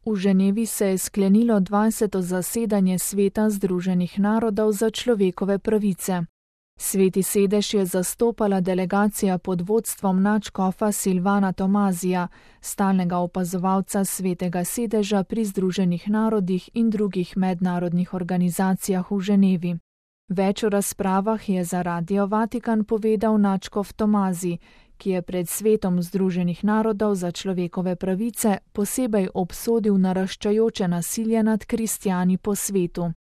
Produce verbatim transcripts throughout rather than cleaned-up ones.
V Ženevi se je sklenilo dvajseto zasedanje Sveta Združenih narodov za človekove pravice. Sveti sedež je zastopala delegacija pod vodstvom nadškofa Silvana Tomazija, stalnega opazovalca Svetega sedeža pri Združenih narodih in drugih mednarodnih organizacijah v Ženevi. Več o razpravah je za Radio Vatikan povedal nadškof Tomazi, ki je pred Svetom Združenih narodov za človekove pravice posebej obsodil naraščajoče nasilje nad kristjani po svetu.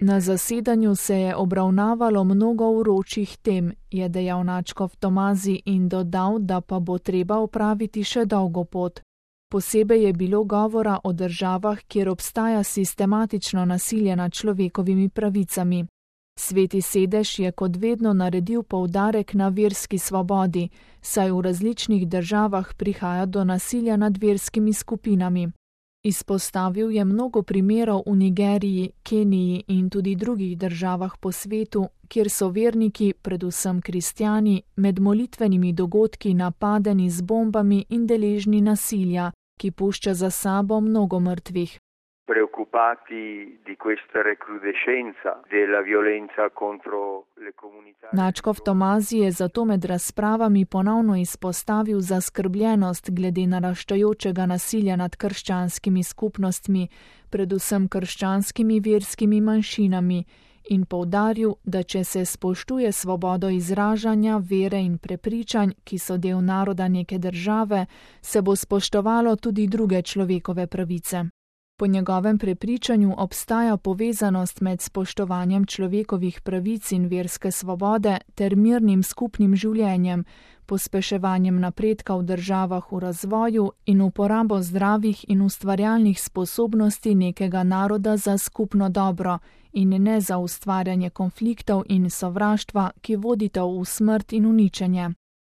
Na zasedanju se je obravnavalo mnogo vročih tem, je dejal nadškof Tomazi in dodal, da pa bo treba opraviti še dolgo pot. Posebej je bilo govora o državah, kjer obstaja sistematično nasilje nad človekovimi pravicami. Sveti sedež je kot vedno naredil poudarek na verski svobodi, saj v različnih državah prihaja do nasilja nad verskimi skupinami. Izpostavil je mnogo primerov v Nigeriji, Keniji in tudi drugih državah po svetu, kjer so verniki, predvsem kristjani, med molitvenimi dogodki napadeni z bombami in deležni nasilja, ki pušča za sabo mnogo mrtvih. Nadškof Tomazi je zato med razpravami ponovno izpostavil zaskrbljenost glede naraščajočega nasilja nad krščanskimi skupnostmi, predvsem krščanskimi verskimi manjšinami, in poudaril, da če se spoštuje svobodo izražanja, vere in prepričanj, ki so del naroda neke države, se bo spoštovalo tudi druge človekove pravice. Po njegovem prepričanju obstaja povezanost med spoštovanjem človekovih pravic in verske svobode ter mirnim skupnim življenjem, pospeševanjem napredka v državah v razvoju in uporabo zdravih in ustvarjalnih sposobnosti nekega naroda za skupno dobro in ne za ustvarjanje konfliktov in sovraštva, ki vodita v smrt in uničenje.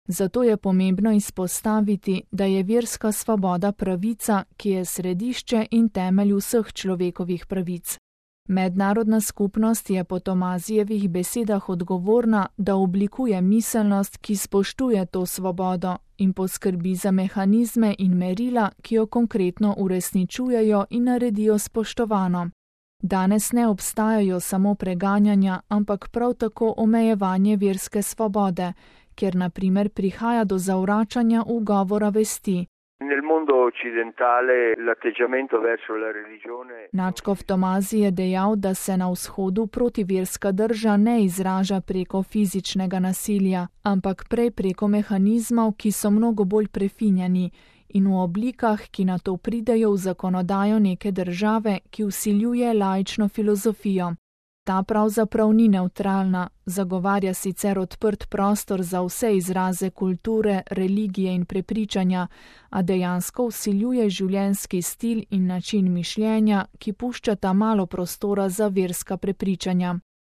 Zato je pomembno izpostaviti, da je verska svoboda pravica, ki je središče in temelj vseh človekovih pravic. Mednarodna skupnost je po Tomazijevih besedah odgovorna, da oblikuje miselnost, ki spoštuje to svobodo in poskrbi za mehanizme in merila, ki jo konkretno uresničujejo in naredijo spoštovano. Danes ne obstajajo samo preganjanja, ampak prav tako omejevanje verske svobode, kjer na primer prihaja do zavračanja ugovora vesti. Nadškof Tomazi je dejal, da se na vzhodu protiverska drža ne izraža preko fizičnega nasilja, ampak prej preko mehanizmov, ki so mnogo bolj prefinjeni in v oblikah, ki na to pridejo v zakonodajo neke države, ki vsiljuje laično filozofijo. Ta pravzaprav ni nevtralna, zagovarja sicer odprt prostor za vse izraze kulture, religije in prepričanja, a dejansko vsiljuje življenjski stil in način mišljenja, ki puščata malo prostora za verska prepričanja.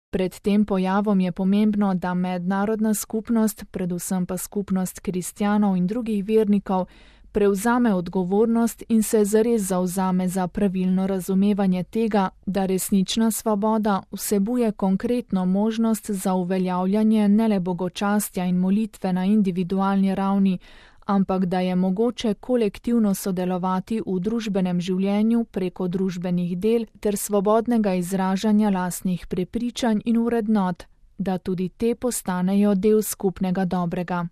Pred tem pojavom je pomembno, da mednarodna skupnost, predvsem pa skupnost kristjanov in drugih vernikov, prevzame odgovornost in se zares zavzame za pravilno razumevanje tega, da resnična svoboda vsebuje konkretno možnost za uveljavljanje ne le bogočastja in molitve na individualni ravni, ampak da je mogoče kolektivno sodelovati v družbenem življenju preko družbenih del ter svobodnega izražanja lastnih prepričanj in vrednot, da tudi te postanejo del skupnega dobrega.